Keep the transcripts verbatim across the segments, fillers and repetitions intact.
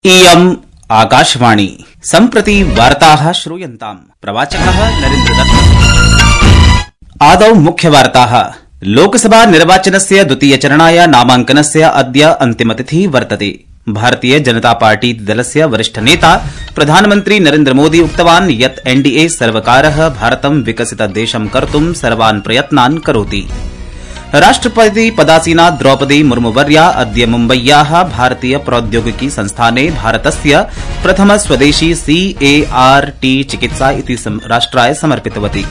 इयम् आकाशवाणी सम्प्रति वार्ताः श्रूयन्ताम्। प्रवाचकः नरेन्द्रदत्त। आदौ मुख्यवार्ताः। लोकसभा निर्वाचनस्य द्वितीयचरणाय नामाङ्कनस्य अद्य अन्तिमतिथिः वर्तते। भारतीय जनता पार्टी दलस्य वरिष्ठ नेता प्रधानमन्त्री नरेन्द्रमोदी उक्तवान् यत् एनडीए सर्वकारः भारतं विकसितदेशं कर्तुं सर्वान् प्रयत्नान् करोति। राष्ट्रपति पदासीना द्रौपदी मुर्मुवर्या अद्य मुम्बय्याः भारतीय प्रौद्योगिकी संस्थाने भारतस्य प्रथम स्वदेशी सीएआरटी चिकित्सा इति राष्ट्राय समर्पितवती।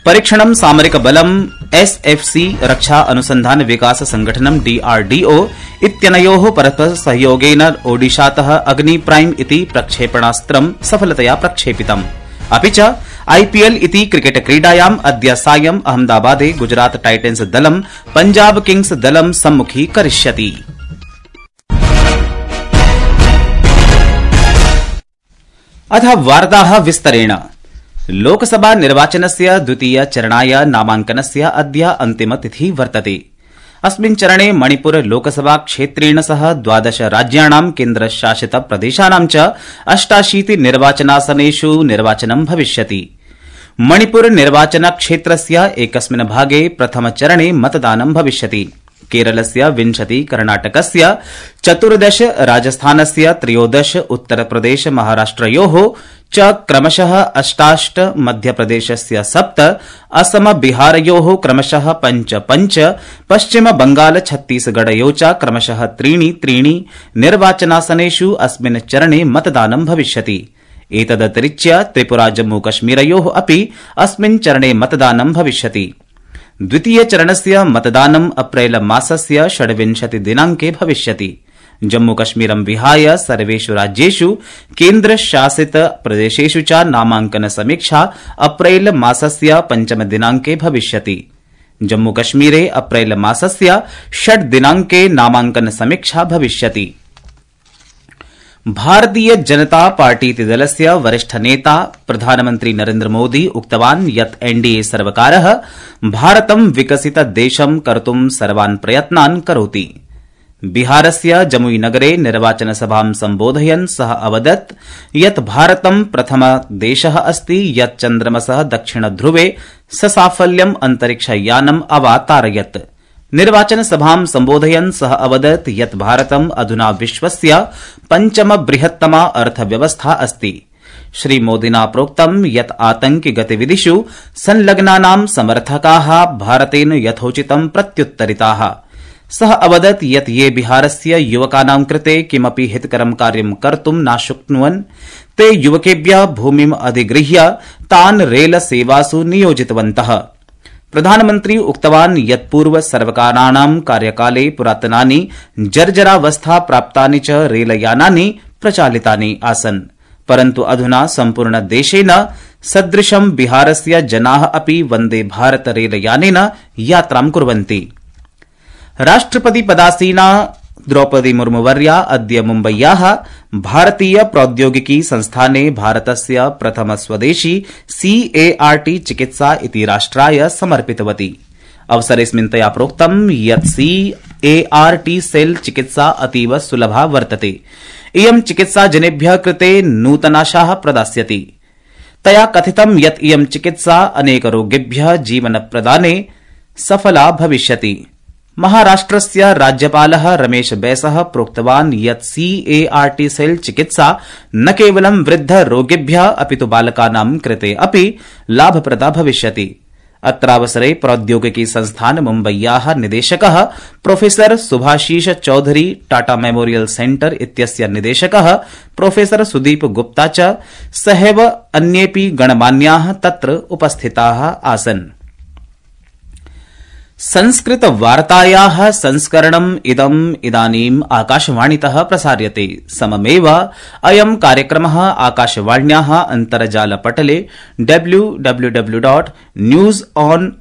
परीक्षणं सामरिकबलम् एसएफसी रक्षा अनुसन्धान विकास संगठनं डीआरडीओ इत्यनयोः परस्पर सहयोगेन ओडिशातः अग्नि प्राइम इति प्रक्षेपणास्त्रं सफलतया प्रक्षेपितम्। अपि च आईपीएल इति क्रिकेट क्रीडायाम् अद्य सायं अहमदाबादे गुजरात टाइटन्स दलं पंजाब किंग्स दलं सम्मुखीकरिष्यति। अथ वार्ताः विस्तरेण। लोकसभा निर्वाचनस्य द्वितीय चरणाय नामाङ्कनस्य अद्य अन्तिमतिथिः वर्तते। अस्मिन् चरणे मणिपुर लोकसभा क्षेत्रेण सह द्वादश राज्याणां केन्द्रशासित प्रदेशानां च अष्टाशीति निर्वाचनासनेषु निर्वाचनं भविष्यति। मणिपुर निर्वाचन क्षेत्रस्य एकस्मिन् भागे प्रथमचरणे मतदानं भविष्यति। केरलस्य विंशति, कर्णाटकस्य चतुर्दश, राजस्थानस्य त्रयोदश, उत्तरप्रदेश महाराष्ट्रयोः च क्रमशः अष्टाष्ट, मध्यप्रदेशस्य सप्त, असम बिहारयोः क्रमशः पञ्च पञ्च, पश्चिम बंगाल छत्तीसगढयोः च क्रमशः त्रीणि त्रीणि निर्वाचनासनेषु अस्मिन् चरणे मतदानं भविष्यति। एतदतिरिच्य त्रिपुरा जम्मूकश्मीरयोः अपि अस्मिन् चरणे मतदानं भविष्यति। द्वितीयचरणस्य मतदानं अप्रैल मासस्य षड्विंशति दिनाङ्के भविष्यति। जम्मूकश्मीरं विहाय सर्वेषु राज्येषु केन्द्रशासित प्रदेशेषु च नामाङ्कन समीक्षा अप्रैल मासस्य पञ्चम दिनाङ्के भविष्यति। जम्मूकश्मीरे अप्रैल मासस्य षड् दिनाङ्के नामाङ्कन समीक्षा भविष्यति। भारतीय जनता पार्टी दलस्य वरिष्ठ नेता प्रधानमन्त्री नरेन्द्रमोदी उक्तवान् यत् एनडीए सर्वकारः भारतं विकसितदेशं कर्तुं सर्वान् प्रयत्नान् करोति। बिहारस्य जमुईनगरे निर्वाचनसभां सम्बोधयन् सः अवदत् यत् भारतं प्रथमदेशः अस्ति यत् चन्द्रमसः दक्षिणध्रुवे ससाफल्यम् अन्तरिक्षयानम् अवातारयत्। निर्वाचनसभां सम्बोधयन् सः अवदत् यत् भारतम् अधुना विश्वस्य पञ्चम बृहत्तमा अर्थव्यवस्था अस्ति। श्रीमोदिना प्रोक्तं यत् आतंकि गतिविधिषु संलग्नानां समर्थकाः भारतेन यथोचितं प्रत्युत्तरिताः। सः अवदत् यत् ये बिहारस्य युवकानां कृते किमपि हितकरं कार्यं कर्तुं न शक्नुवन् ते युवकेभ्यः भूमिम् अधिगृह्य तान् रेल सेवासु नियोजितवन्तः। प्रधानमन्त्री उक्तवान् यत् पूर्व सर्वकाराणां कार्यकाले पुरातनानि जर्जरावस्था प्राप्तानि च रेलयानानि प्रचालितानि आसन्, परन्तु अधुना सम्पूर्ण देशेन सदृशं बिहारस्य जनाः अपि वन्दे भारत रेलयानेन यात्रां कुर्वन्ति। राष्ट्रपति पदासीना द्रौपदी मुर्मुवर्या अद्य मुम्बय्याः भारतीय प्रौद्योगिकी संस्थाने भारतस्य प्रथम स्वदेशी सीएआरटी चिकित्सा इति राष्ट्राय समर्पितवती। अवसरेऽस्मिन् तया प्रोक्तं यत् सीएआरटी सेल चिकित्सा अतीव सुलभा वर्तते। इयं चिकित्सा जनेभ्यः कृते नूतनाशाः प्रदास्यति। तया कथितं यत् इयं चिकित्सा अनेकरोगिभ्यः जीवनप्रदाने सफला भविष्यति। महाराष्ट्रस्य राज्यपालः रमेश बैसः प्रोक्तवान् यत् सीएआरटी सेल चिकित्सा न केवलं वृद्धरोगिभ्यः अपि तु बालकानां कृते अपि लाभप्रदा भविष्यति। अत्रावसरे प्रौद्योगिकी संस्थान मुम्बय्याः निदेशकः professor Subhashish Chaudhary, Tata memorial centre इत्यस्य निदेशकः प्रोफेसर सुदीप गुप्ता च सहैव अन्येऽपि गणमान्याः तत्र उपस्थिताः आसन्। संस्कृत वार्तायाः संस्करणम् इदम् इदानीम् आकाशवाणीतः प्रसार्यते। सममेव अयं कार्यक्रमः आकाशवाण्याः अन्तर्जालपटले W W W dot news on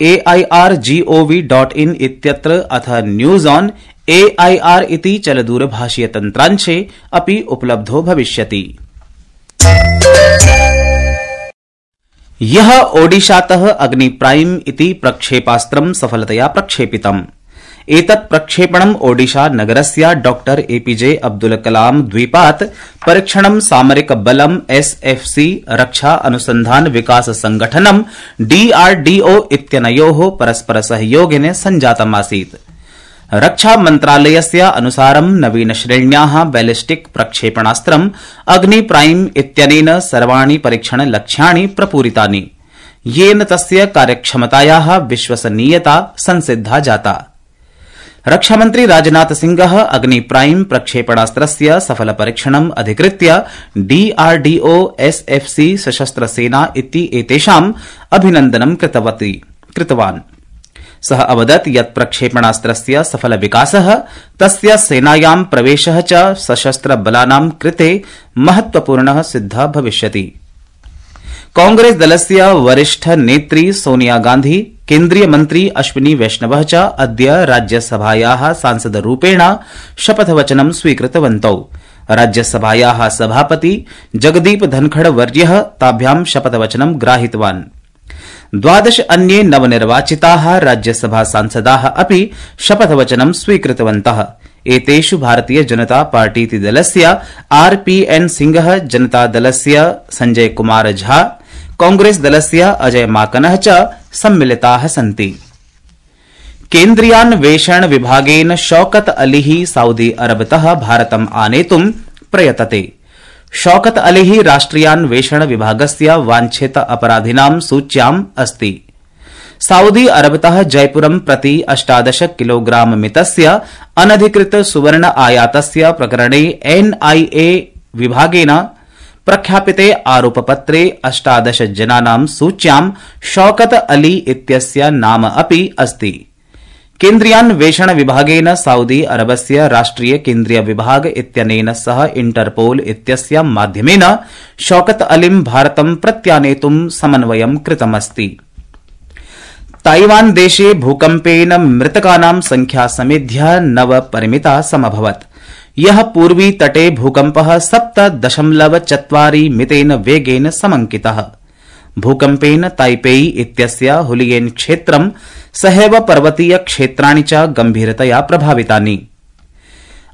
A I R G O V dot in इत्यत्र अथ न्यूज ऑन एआईआर इति चलदूरभाषीय तन्त्रांशे अपि उपलब्धो भविष्यति। यः ओडिशातः अग्नि प्राइम इति प्रक्षेपास्त्रं सफलतया प्रक्षेपितम्। एतत् प्रक्षेपणम् ओडिशा नगरस्य डॉक्टर एपीजे अब्दुल कलाम द्वीपात् परीक्षणं सामरिक बलम् एसएफसी रक्षा अनुसंधान विकास संगठनं डीआरडीओ इत्यनयोः परस्पर सहयोगेन सञ्जातमासीत्। रक्षा मन्त्रालयस्य अनुसारं नवीन श्रेण्याः बैलिस्टिक प्रक्षेपणास्त्रम् अग्नि प्राइम इत्यनेन सर्वाणि परीक्षण लक्ष्याणि प्रपूरितानि, येन तस्य कार्यक्षमतायाः विश्वसनीयता संसिद्धा जाता। रक्षामन्त्री राजनाथ सिंहः अग्नि प्राइम प्रक्षेपणास्त्रस्य सफल परीक्षणम् अधिकृत्य डीआरडीओ एसएफसी सशस्त्र सेना इति एतेषाम् अभिनन्दनं कृतवान्। सः अवदत् यत् प्रक्षेपणास्त्रस्य सफल विकासः तस्य सेनायां प्रवेशः च सशस्त्र बलानां कृते महत्वपूर्णः सिद्धः भविष्यति। कांग्रेस दलस्य वरिष्ठ नेत्री सोनिया गांधी, केन्द्रीय मन्त्री अश्विनी वैष्णवः च अद्य राज्यसभायाः सांसदरूपेण शपथवचनं स्वीकृतवन्तौ। राज्यसभायाः सभापति जगदीप धनखड़ वर्यः ताभ्यां शपथवचनं ग्राहितवान्। द्वादश अन्ये नवनिर्वाचिताः राज्यसभा सांसदाः अपि शपथवचनं स्वीकृतवन्तः। एतेषु भारतीय जनता पार्टीति दलस्य आरपीएन सिंहः, जनता दलस्य संजय कुमार झा, कांग्रेस दलस्य अजय माकनः च सम्मिलिताः सन्ति। केन्द्रीयान्वेषण विभागेन शौकत अलीः सऊदी अरबतः भारतम् आनेतुं प्रयतते। शौकत अलीः राष्ट्रियान्वेषण विभागस्य वाञ्छित अपराधिनां सूच्याम् अस्ति। सऊदी अरबतः जयपुरं प्रति अष्टादश किलोग्राम मितस्य अनधिकृत सुवर्ण आयातस्य प्रकरणे एनआईए विभागेन प्रख्यापिते आरोपपत्रे अष्टादश जनानां सूच्यां शौकत अली इत्यस्य नाम अपि अस्ति। केन्द्रीयान्वेषण विभागेन सऊदी अरबस्य राष्ट्रिय केन्द्रीय विभाग इत्यनेन सह इंटरपोल इत्यस्य माध्यमेन शौकत अलीं भारतं प्रत्यानेतुं समन्वयं कृतमस्ति। ताइवान देशे भूकम्पेन मृतकानां संख्या समेध्य नव परिमिता समभवत्। यः पूर्वी तटे भूकम्पः सप्त दशमलव चत्वारि मितेन वेगेन समंकितः। भूकम्पेन ताइपेई इत्यस्य हुलियेन क्षेत्रं सहैव पर्वतीय क्षेत्राणि च गंभीरतया प्रभावितानि।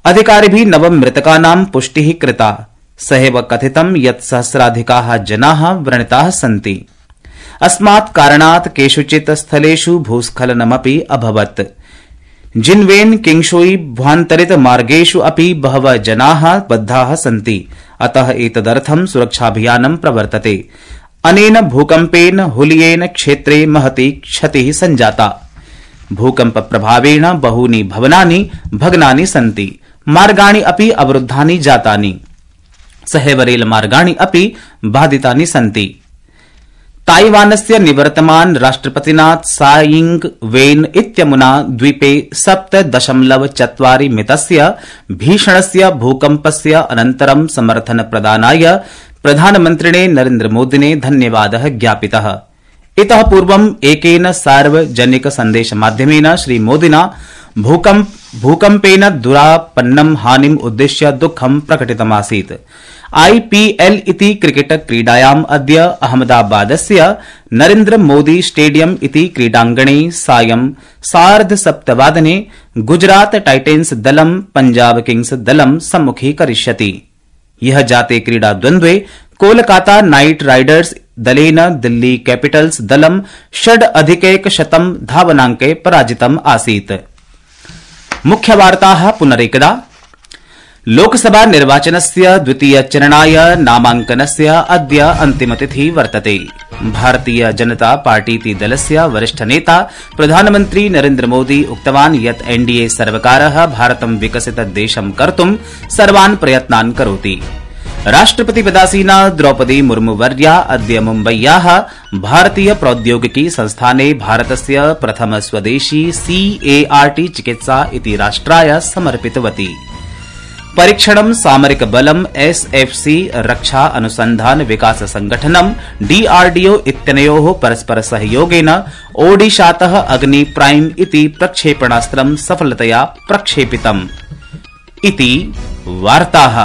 अधिकारिभिः नव मृतकानां पुष्टिः कृता। सहैव कथितं यत् सहस्राधिकाः जनाः व्रणिताः सन्ति। अस्मात् कारणात् केषुचित् स्थलेषु भूस्खलनमपि अभवत्। जिन्वेन किंगशुई भ्वान्तरित मार्गेषु अपि बहवः जनाः बद्धाः सन्ति, अतः एतदर्थं सुरक्षाभियानं प्रवर्तते। अनेन भूकम्पेन हुलियेन क्षेत्रे महती क्षतिः सञ्जाता। भूकम्प प्रभावेण बहूनि भवनानि भग्नानि सन्ति, मार्गाणि अपि अवरुद्धानि जातानि, सहैव रेलमार्गाणि अपि बाधितानि सन्ति। ताइवानस्य निवर्तमान राष्ट्रपतिना त्साई इंग वेन इत्यमुना द्वीपे सप्त दशमलव चत्वारि मितस्य भीषणस्य भूकम्पस्य अनन्तरं समर्थन प्रदानाय प्रधानमन्त्रिणे नरेन्द्रमोदिने धन्यवादः ज्ञापितः। इतः पूर्वम् एकेन सार्वजनिक सन्देशमाध्यमेन श्रीमोदिना भूकम्प भूकम्पेन दुरापन्नं हानिम् उद्दिश्य दुःखं प्रकटितमासीत्। आईपीएल इति क्रिकेट क्रीडायाम् अद्य अहमदाबादस्य नरेन्द्र मोदी स्टेडियम इति क्रीडाङ्गणे सायं सार्धसप्तवादने गुजरात टाइटेंस दलं पंजाब किंग्स दलं सम्मुखीकरिष्यति। यह जाते क्रीडाद्वन्द्वे कोलकाता नाइट राइडर्स दलेन दिल्ली कैपिटल्स दलं षड् अधिकैकशतं धावनाङ्के पराजितम् आसीत्। मुख्यवार्ताः पुनरेकदा। लोकसभा निर्वाचनस्य द्वितीयचरणाय नामाङ्कनस्य अद्य अन्तिमतिथिः वर्तते। भारतीय जनता पार्टीति दलस्य वरिष्ठ नेता प्रधानमन्त्री नरेन्द्र मोदी उक्तवान् यत् एनडीए सर्वकारः भारतं विकसित देशं कर्तुं सर्वान् प्रयत्नान् करोति। राष्ट्रपतिपदासीना द्रौपदी मुर्मुवर्या अद्य मुम्बय्याः भारतीय प्रौद्योगिकी संस्थाने भारतस्य प्रथम स्वदेशी सीएआरटी चिकित्सा इति राष्ट्राय समर्पितवती। परीक्षणं सामरिक बलम् एसएफसी रक्षा अनुसंधान विकास संगठनं डीआरडीओ इत्यनयोः परस्पर सहयोगेन ओडिशातः अग्नि प्राइम इति प्रक्षेपणास्त्रं सफलतया प्रक्षेपितम् इति वार्ताः।